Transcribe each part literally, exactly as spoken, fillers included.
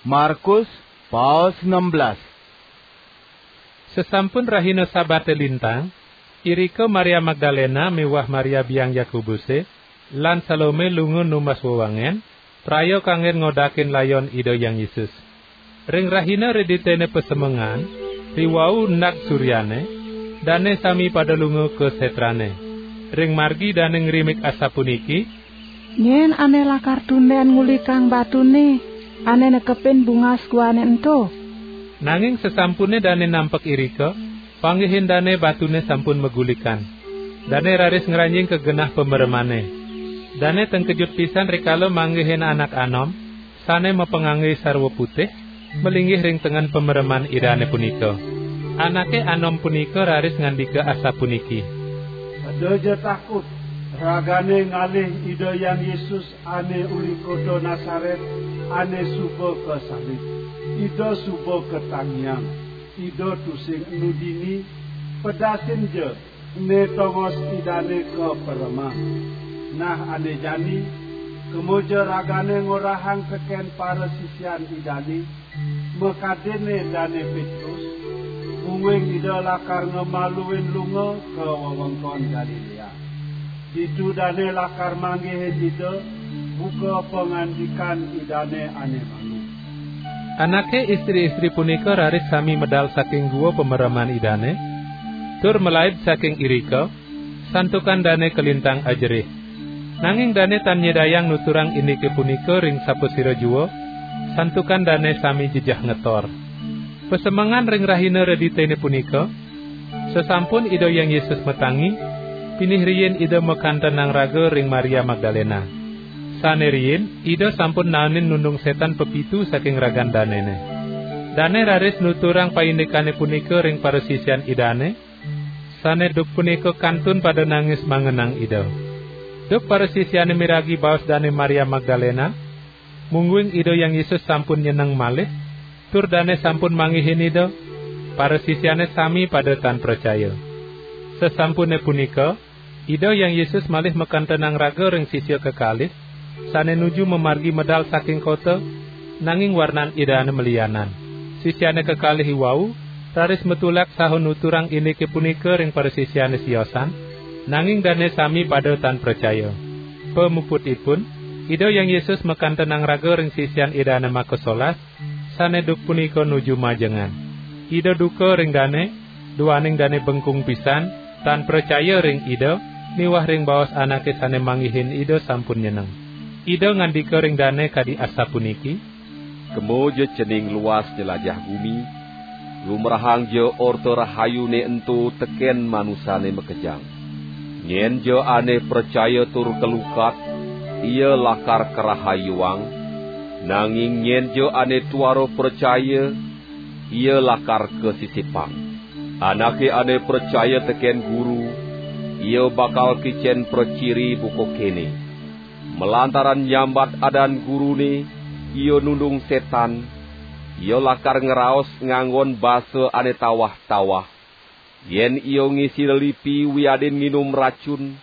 Markus, paos enam belas. Sesampun rahina Sabate lintang, irika Maria Magdalena miwah Maria biang Yakobuse, lan Salome lunga numbas wewangen, praya kanggen ngodakin layon Ida Hyang Yesus. Ring rahina Reditene Pasemengan, riwau endag suryane, dane sami pada lunga ka setrane. Ring margi dane ngrimik asapuniki, "Nyen ane lakar tunden ngulikang batune, ane nekepin bungas guane ento?" Nanging sesampune dane nampek irika, panggihin dane batune sampun magulikan. Dane raris ngranjing ka genah pameremane. Dane tengkejut pisan rikala manggihin anak anom, sane mapangangge sarwa putih, malinggih ring tengen pamereman Idane punika. Anake anom punika raris ngandika asapuniki, "Eda ja takut, ragane ngalih Ida Hyang Yesus ane uli kota Nasaret, ane suba kasalib. Ida suba katangiang. Ida tusing enu dini, pedasin ja ene tongos Idane kapereman. Nah ane jani, kema ja ragane ngorahang teken parasisian Idane, makadinne Dane Petrus, mungguing Ida lakar ngamaluin lunga ka wewengkon Galilea. Ditu dane lakar manggihin Ida, buka pangandikan Idane ane malu." Anake istri-istri punika raris sami medal saking gua pamereman Idane, tur malaib saking irika, santukan dane kalintang ajerih. Nanging dane tan nyidayang nuturang indike punika ring sapasira jua, santukan dane sami jejeh ngetor. Pasemengan ring rahina Reditene punika, sesampun Ida Hyang Yesus matangi, pinih riin Ida makantenang raga ring Maria Magdalena. Sane riin, Ida sampun naenin nundung setan pepitu saking ragan danene. Dane raris nuturang paindikane punika ring parasisian Idane, sane duk punika kantun pada nangis mangenang Ida. Duk parasisiane miragi baos Dane Maria Magdalena, mungguing Ida Hyang Yesus sampun nyeneng malih, tur dane sampun manggihin Ida, parasisiane sami pada tan pracaya. Sesampune punika, Ida Hyang Yesus malih makantenang raga ring sisia kekalih, sane nuju mamargi medal saking kota, nanging warnan Idane malianan. Sisiane kekalih iwau raris matulak saha nuturang indike punika ring parasisiane siosan, nanging dane sami pada tan pracaya. Pamuputipun, Ida Hyang Yesus makantenang raga ring sisian Idane makasolas, sane duk punika nuju majengan. Ida duka ring dane, duaning dane bengkung pisan, tan pracaya ring Ida, miwah ring baos anake sane manggihin Ida sampun nyeneng. Ida ngandika ring dane kadi asapuniki, "Kema ja cening luas jelajah gumi, lumrahang ja Orta Rahayune ento teken manusane makejang. Nyen ja ane pracaya tur kalukat, ia lakar karahayuang, nanging nyen ja ane tuara pracaya, ia lakar kasisipang. Anake ane pracaya teken Guru, ia bakal kicen praciri buka kene. Malantaran nyambat adan Gurune, ia nundung setan, ia lakar ngraos nganggon basa ane tawah-tawah. Yen ia ngisi lelipi wiadin nginum racun,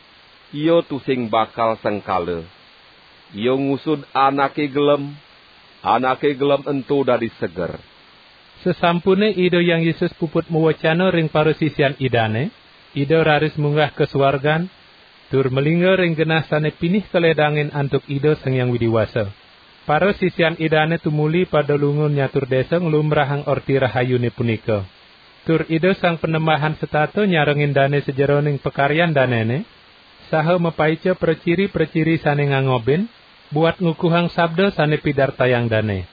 ia tusing bakal sengkala. Ia ngusud anake gelem, anake gelem ento dadi seger." Sesampune Ida Hyang Yesus puput mawecana ring parasisian Idane, Ida raris munggah ka suargan, tur malingga ring genah sane pinih kaledangin antuk Ida Sang Hyang Widi Wasa. Parasisian Idane tumuli pada lunga nyatur desa nglumbrahang Orti Rahayune punika. Tur Ida Sang Panembahan setata nyarengin dane sajeroning pakaryan danene, saha mapaica praciri-praciri sane ngangobin, buat ngukuhang sabda sane pidartayang dane.